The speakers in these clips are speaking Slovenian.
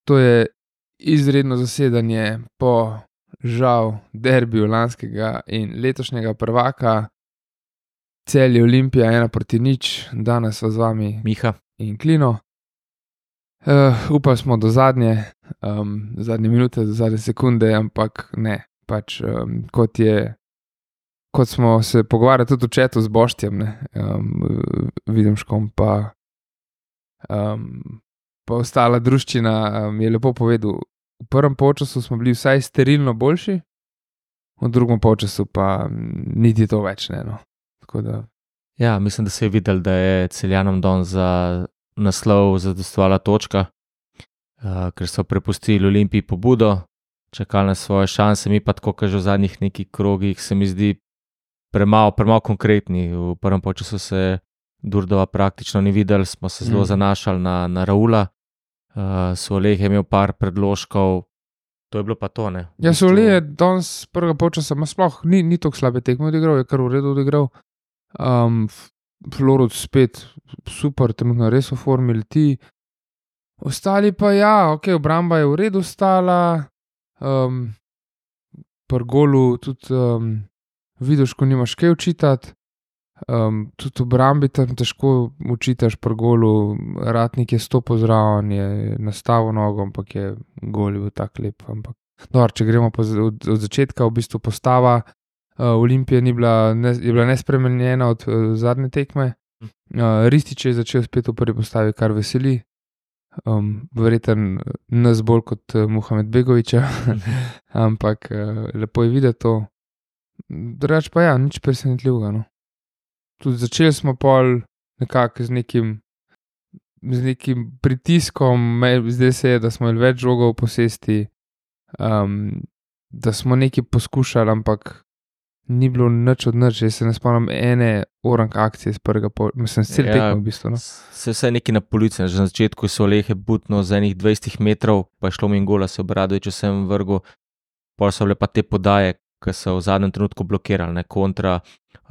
To je izredno zasedanje po žal derbiju lanskega in letošnjega prvaka. Celje Olimpija 1-0, danes z vami Miha. in Klino. Upali smo do zadnje minute, do zadnje sekunde, ampak ne, pač kot smo se pogovarjali tudi v chatu z Boštjem, Videmškom, pa ostala druščina je lepo povedal, v prvem polčasu smo bili vsaj sterilno boljši, v drugem polčasu pa niti to več ne, no. Tako da. Ja, mislim, da se je videl, da je Celjanom don za naslov zadostovala točka, ker so prepustili Olimpiji pobudo, čakali na svoje šanse, mi pa tako, kaže v zadnjih nekih krogih, se mi zdi premalo konkretni. V prvem polčasu se Durdova praktično ni videl, smo se zelo zanašali na Raula, Soleh je imel par predložkov, to je bilo pa to, ne. Ja, Soleh je danes prvega polčasa, sploh ni tako slabe tekme odigral, je kar v redu odigral. Florud spet super, trenutno res v formi leti. Ostali pa obramba je v redu stala, pri golu tudi vidiš, ko nimaš kaj očitati, tudi obrambi tam težko očitaš pri golu, Ratnik je stopil zraven, je nastavil nogo, ampak je gol bil tak lep, ampak dobro, če gremo od začetka, v bistvu postava Olimpije je bila nespremenjena od zadnje tekme. Ristić je začel spet v prvi postavi, kar veseli. Verjetno nas bolj kot Muhamed Begovića, ampak lepo je videti to. Drugače pa nič presenetljivega, no. Tudi začeli smo pol nekako z nekim pritiskom, zdaj se je, da smo imeli več žogov v posesti, da smo nekaj poskušali, ampak ni bilo nič od nič, jaz se ne spomnim ene orang akcije iz prvega mislim, cel tekmo v bistvu, no. Se vse nekaj na polici, že na začetku so Lehe butno za enih 20 metrov, pa je šlo mi in gola, se Obradović vsem vrgel, pol so bile pa te podaje, ki so v zadnjem trenutku blokirali, ne, kontra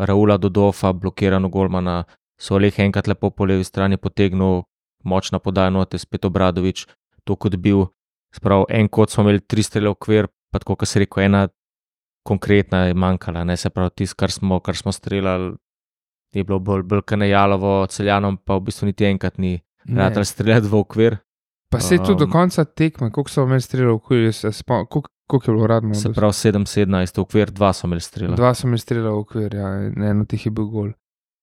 Raula Dodofa, blokirano golmana, so Lehe enkrat lepo po levi strani potegnil, močna podaja note, spet Obradović, to kot bil, sprav en kot smo imeli 3 strele v okvir, pa tako, kot se rekel, ena konkretna je manjkala, ne, se pravi, tisto, kar smo streljali, je bilo bolj kanejalovo, Celjanom pa v bistvu niti enkrat ni ratal streljati v okvir. Pa se je tudi do konca tekme, koliko so imeli strelov v okvir, koliko je bilo radno? Se pravi 7-17 v okvir, 2 so imeli strela. 2 so imeli strela v okvir, ja, eno tih je bil gol.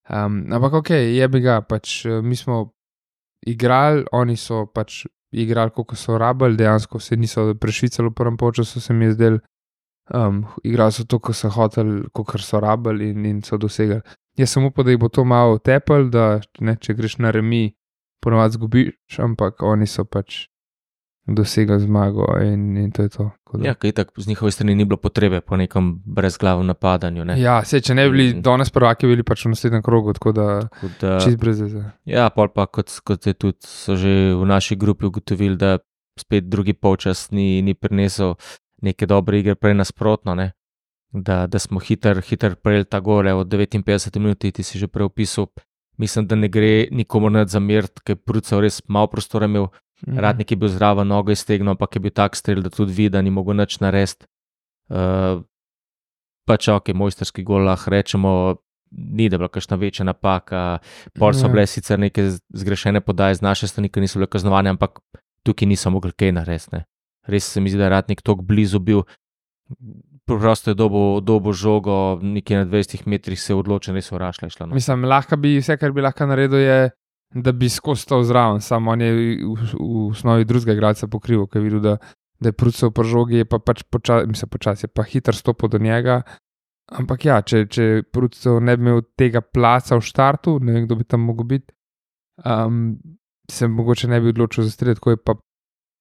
Ampak okej, jebi ga, pač mi smo igrali, oni so pač igrali, koliko so rabili, dejansko se niso prešvicali v prvem polčasu, se mi je zdelo. Igrali so to, ko so hoteli, kakor so rabili in so dosegali. Jaz sem upal, da jih bo to malo tepel, da ne, če greš na remi, ponovadi zgubiš, ampak oni so pač dosegli zmago in to je to. Ja, kaj tako z njihove strani ni bilo potrebe po nekem brezglavem napadanju, ne. Ja, če ne bi bili danes prvaki, bili pač v naslednjem krogu, tako da čist brez veze. Ja, pol pa kot je tudi so že v naši grupi ugotovili, da spet drugi polčas ni prinesel neke dobre igre, prej nasprotno, ne, da smo hiter prejeli ta gole od 59 minuti, ti si že prej opisal, mislim, da ne gre nikomur nič zameriti, ker je Prucev res malo prostora imel, Ratnik je bil zraven, nogo iztegnil, ampak je bil tak strel, da tudi vidi, da ni mogel nič narediti. Pač mojstrski gol, lahko rečemo, ni da bila kakšna večja napaka, pol so bile sicer neke zgrešene podaje z naše strani, ki niso bile kaznovane, ampak tukaj niso mogli kaj narediti, ne. Res se mi zdi, da je Ratnik toliko blizu bil, prosto je dobo žogo, nekje na 20 metrih se je odločen, res vrašla je šla. No. Mislim, vse, kar bi lahko naredil, je, da bi skozi stal zraven, samo on je v osnovi drugega igralca pokrival, ker je videl, da je Prucev po žogi, je pa pač počasi, je pa hiter stopil do njega, ampak ja, če Prucev ne bi imel tega placa v štartu, ne vem, kdo bi tam mogel biti, se mogoče ne bi odločil za strel, tako je pa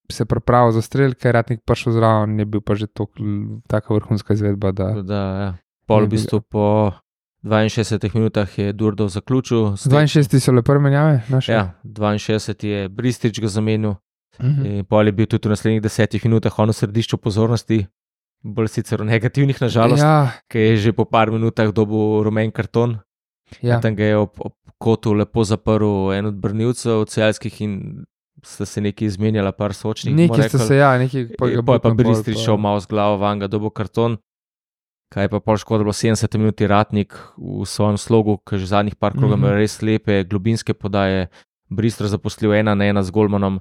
se pripravil za strel, ker je Ratnik prišel zraven, je bil pa že taka vrhunska izvedba, da. Ja. Pol v bistvu po 62 minutah je Durdov zaključil. 62 so le prve menjave naše? Ja, 62 je Bristić ga zamenil, in pol je bil tudi v naslednjih 10 minutah on v središču pozornosti, bolj sicer v negativnih nažalost, ker je že po par minutah dobil rumen karton. Tam ga je ob kotu lepo zaprl en od branilcev celjskih in sta se nekaj izmenjala, par sočnih. Nekaj ste se, nekaj Pa je pa Bristrič šel malo z glavo van, ga dobo karton. Kaj je pa pol škoda, bilo 70 minuti Ratnik v svojem slogu, ker že zadnjih par krogov ima res lepe globinske podaje. Bristol zaposlil 1-1 z golmanom.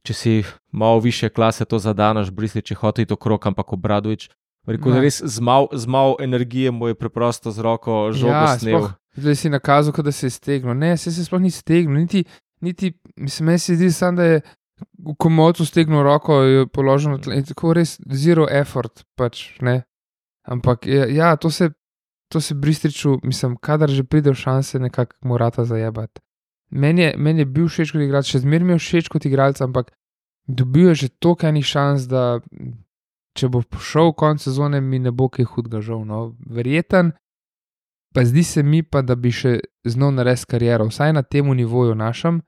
Če si malo više klase to zadanaš, Bristrič je hotel iti okrog, ampak Obradović, rekel, res z malo energije mu je preprosto z roko žogo snel. Zdaj si nakazal, da se je stegnil. Ne, se sploh ni stegnil, niti meni se zdi sam, da je v komotu stegnil roko, jo položil na tle in tako res zero effort, pač, ne. Ampak to se Bristriču, mislim, kadar že pride v šanse, nekako morata zajebati. Meni je bil všeč kot igralec, še zmeraj mi je všeč kot igralec, ampak dobil je že toliko enih šans, da če bo šel konec sezone, mi ne bo kaj hudega žal, no. Verjeten, pa zdi se mi pa, da bi še znal narediti kariero, vsaj na temu nivoju našem,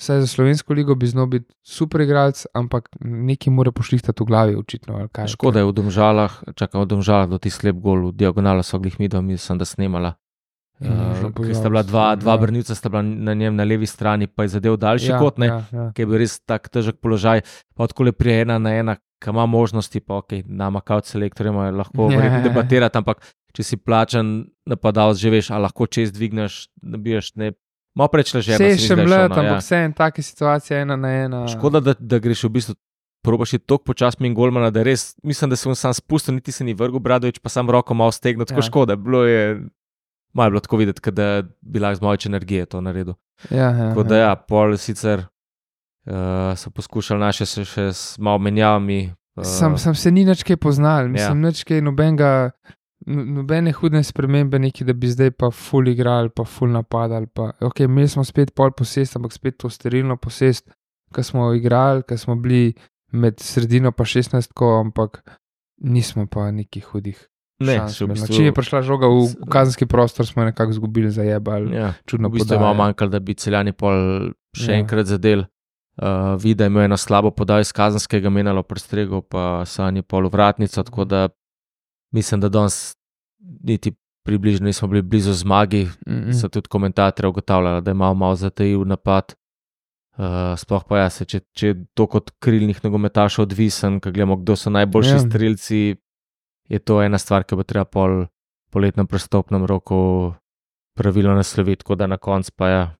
vsaj za Slovensko ligo bi znal biti super igralec, ampak nekaj mora pošlihtati v glavi, očitno. Ali kaj. Škoda je v Domžalah do ti slep gol, v diagonalo so glih midva, mislim, da snemala. Ker sta bila dva branilca, sta bila na njem na levi strani, pa je zadev daljši kot, ki je bil res tak težek položaj, pa odkole prije 1-1, ki ima možnosti, pa nama kao selektorjem lahko debatirati, ampak če si plačan napadalec, že veš, a lahko čez dvigneš, nabiješ, ne, malo preč ležerno. Vse je še mlad, ampak vse je taka situacija 1-1. Škoda, da greš v bistvu, probaš je toliko počasmi in golmana, da res, mislim, da se sam spustil, niti se ni vrgel Obradović, pa sam roko malo stegnil, tako škoda, malo je bilo tako videti, da bi lahko z malo več energije to naredil. Tako da pol sicer so poskušali naše še s malo menjavami. Sam se ni nič kaj poznal, mislim, nič kaj nobene hudne spremembe neki, da bi zdaj pa ful igrali, pa ful napadali, pa imeli smo spet pol posest, ampak spet to sterilno posest, ko smo igrali, ko smo bili med sredino pa 16, ampak nismo pa nekih hudih. Če je prišla žoga v kazenski prostor, smo nekako izgubili, zajebali, čudno podajo. V bistvu je malo manjkalo, da bi Celjani pol še enkrat zadel. Vida je imel eno slabo podajo iz kazenskega, menjalo prestregel, pa Sanje pol v vratnico, tako da mislim, da danes niti približno nismo bili blizu zmagi. So tudi komentatorji ugotavljali, da je malo zatajil napad. Sploh pa če je to kot krilnih nogometašov odvisen, ko gledamo, kdo so najboljši strelci, je to ena stvar, ki bo treba po letnem prestopnem roku pravilno nasloviti, tako da na koncu pa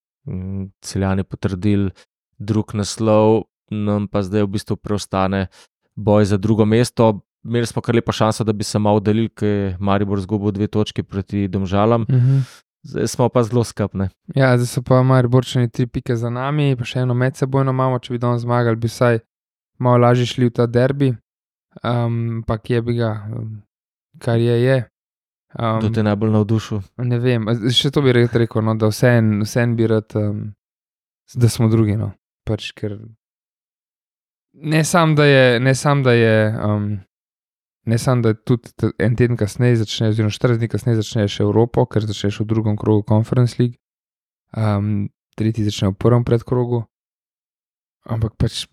Celjani potrdili drug naslov, nam pa zdaj v bistvu preostane boj za drugo mesto. Imeli smo kar lepo šanso, da bi se malo oddaljili, ker je Maribor izgubil 2 točki proti Domžalam. Zdaj smo pa zelo skapni. Zdaj so pa Mariborčani 3 pike za nami, pa še eno medsebojno imamo, če bi danes zmagali, bi vsaj malo lažje šli v ta derbi. Ampak je bi ga, kar je. Kdo te najbolj navdušil? Ne vem, še to bi rekel, no, da vsem bi rad, da smo drugi, no. Pač, ker ne sam, da je tudi en teden kasneje začne, oziroma 4 dni kasneje začneš Evropo, ker začneš v drugem krogu Conference League, tretji začne v prvem predkrogu, ampak pač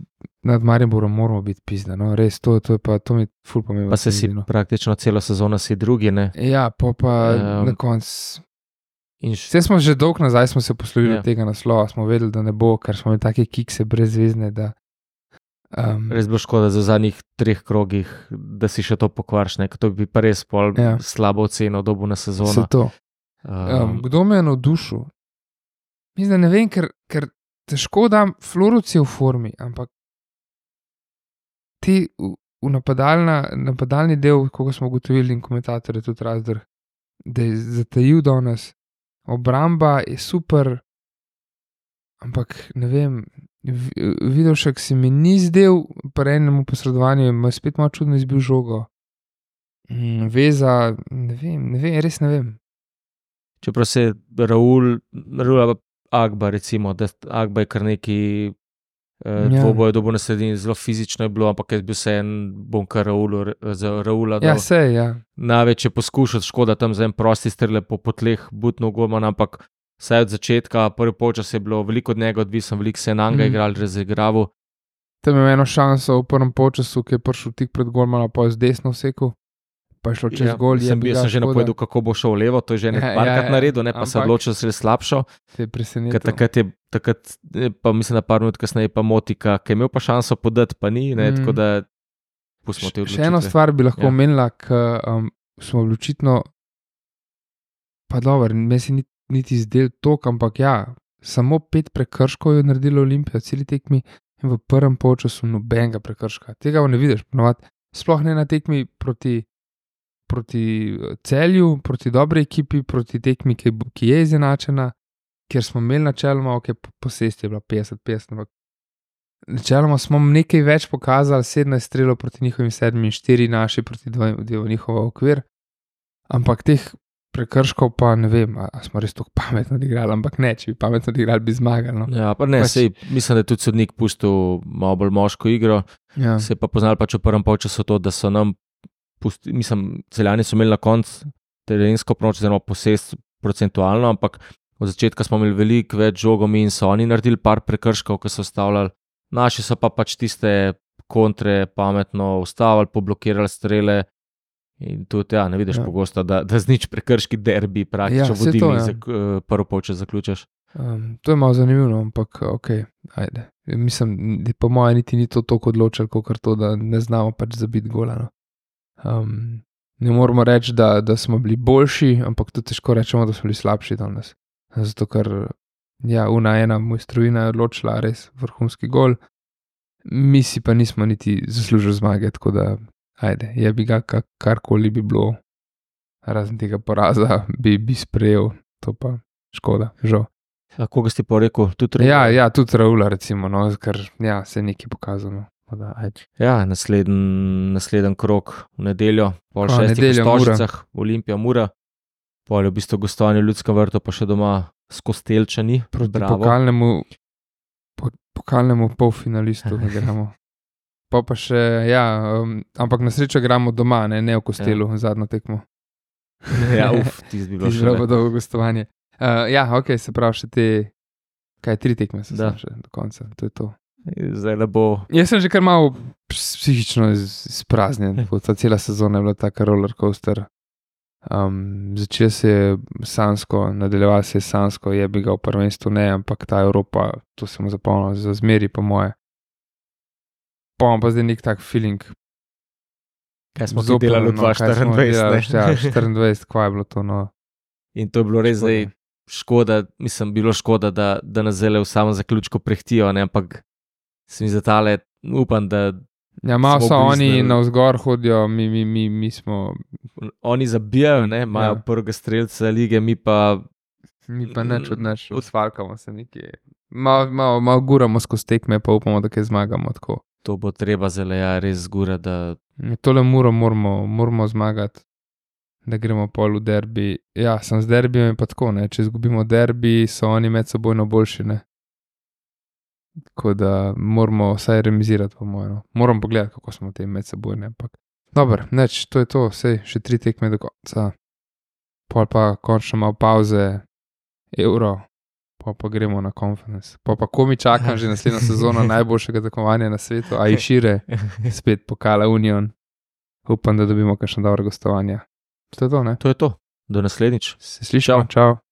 nad Mariborom moramo biti pizda, no, res, to mi ful pomembno. Pa se si praktično celo sezono si drugi, ne? Ja, pa na konc. Vse smo že dolgo nazaj smo se poslovili od tega naslova, smo vedeli, da ne bo, ker smo imeli take kikse brezvezne, da res bo škoda za zadnjih 3 krogih, da si še to pokvarš, ne? To bi pa res pol slabo oceno dobil na sezono. Se to. Kdo me je navdušil? Mislim, da ne vem, ker težko dam, Floruc je v formi, ampak ti v napadalni del, kako smo ugotovili in komentatorje tudi Razdrh, da je zatajil do nas, obramba je super, ampak ne vem, Vidovšek se mi ni zdel, pri enemu posredovanju ima spet malo čudno izbil žogo. Veza, ne vem, res ne vem. Čeprav se Raul Agba recimo, da Agba je kar neki dvoboj dobil na sredini, zelo fizično je bilo, ampak jaz bil se bom kar Raula dal. Največ je poskušal, škoda tam za en prosti strele po tleh butno golman, ampak vsaj od začetka, prvi polčas je bilo veliko od njega odvisno, veliko se je Nanga igral, razigraval. Tam je eno šanso v prvem polčasu, ki je prišel tik pred golmana, pa je z desno vsekel, pa je šlo čez gol. Jaz sem že napovedal, kako bo šel levo, to je že nekajkrat naredil, ne, pa se odločil, da se je slabšo. Te je presenetil. Takrat pa mislim, da par minut kasneje pa Motika, ki je imel pa šanso podati, pa ni, ne, tako da pustimo te odločitve. Še eno stvar bi lahko omenila, smo bili očitno, pa dobro, me se niti zdel tok, ampak samo 5 prekrškov je naredilo Olimpija, celi tekmi in v prvem polčasu nobenega prekrška. Tega ne vidiš, ponovadi. Sploh ne na tekmi proti Celju, proti dobri ekipi, proti tekmi, ki je izenačena, kjer smo imeli načeloma, posest je bila 50-50, ampak načeloma smo nekaj več pokazali, 17 strelov proti njihovim 7 in 4 naši proti 2 v njihov okvir, ampak teh prekrškov pa ne vem, a smo res tako pametno odigrali, ampak ne, če bi pametno odigrali, bi zmagali. No. Ja, pa ne, mislim, da je tudi sodnik pustil malo bolj moško igro, se pa poznali pač v prvem polčasu to, da so nam Celjani so imeli na koncu terensko proč, oziroma posest procentualno, ampak od začetka smo imeli veliko več žogov in so oni naredili par prekrškov, ki so stavljali. Naši so pa pač tiste kontre pametno ustavili, poblokirali strele in tudi, ne vidiš pogosto, da z nič prekrški derbi praktično vodili prvo polčas zaključaš. To je malo zanimivo, ampak ajde. Mislim, da po moje niti ni to toliko odločilo, kot to, da ne znamo pač zabiti gola. No. Ne moramo reči, da smo bili boljši, ampak tudi težko rečemo, da smo bili slabši danes. Zato, ker ena mojstrovina je odločila res vrhunski gol, mi si pa nismo niti zaslužili zmage, tako da ajde, je bi ga karkoli bi bilo, razen tega poraza, bi sprejel, to pa škoda, žal. Koga si pa rekel? Tudi Raula? Tudi Raula recimo, no, ker se je nekaj pokazalo. Naslednji krog v nedeljo, pol 6 v Stožicah, Olimpija Mura, pol je v bistvu gostovanje v Ljudskem vrtu, pa še doma s Kostelčani. Proti pokalnemu polfinalistu igramo. Pa še, ampak na srečo igramo doma, ne v Kostelu, zadnjo tekmo. Tisti bi bilo še. Tisti bi bilo dolgo gostovanje. Se pravi še te, 3 tekme se še do konca, to je to. Zdaj le bo. Jaz sem že kar malo psihično izpraznjen, ta cela sezona je bila taka rollercoaster. Začel se je sanjsko, nadaljeval se je sanjsko, je bi ga v prvenstvu ne, ampak ta Evropa, to se mu zapomnil za zmeri po moje. Pa zdaj nek tak feeling. Kaj smo delali v 2024? 24, kva je bilo to, no. In to je bilo res zdaj škoda, bilo škoda, da nas zdaj v samem zaključku prehtijo, ne, ampak se mi zatale, upam, da malo so oni navzgor hodijo, mi smo. Oni zabijajo, ne, imajo prvega strelca lige, mi pa neč, usvalkamo se nekje. Malo guramo skozi tekme, pa upamo, da kaj zmagamo tako. To bo treba zdaj res zgura, da. Tole moramo zmagati, da gremo pol v derbi. Sem z derbijem pa tako, ne, če izgubimo derbi, so oni med sebojno boljši, ne. Tako da moramo vsaj remizirati, po mojem. Moram pogledati, kako smo te med sebojne, ampak. Dobro, neč, to je to, še 3 tekme do konca. Pol pa končno malo pauze, Euro, pa gremo na konferenc. Pa komi čakam že naslednjo sezono najboljšega tekmovanja na svetu, a i šire, spet pokala Union. Upam, da dobimo kakšno dobro gostovanje. To je to, ne? To je to. Do naslednjič. Se slišimo, čau.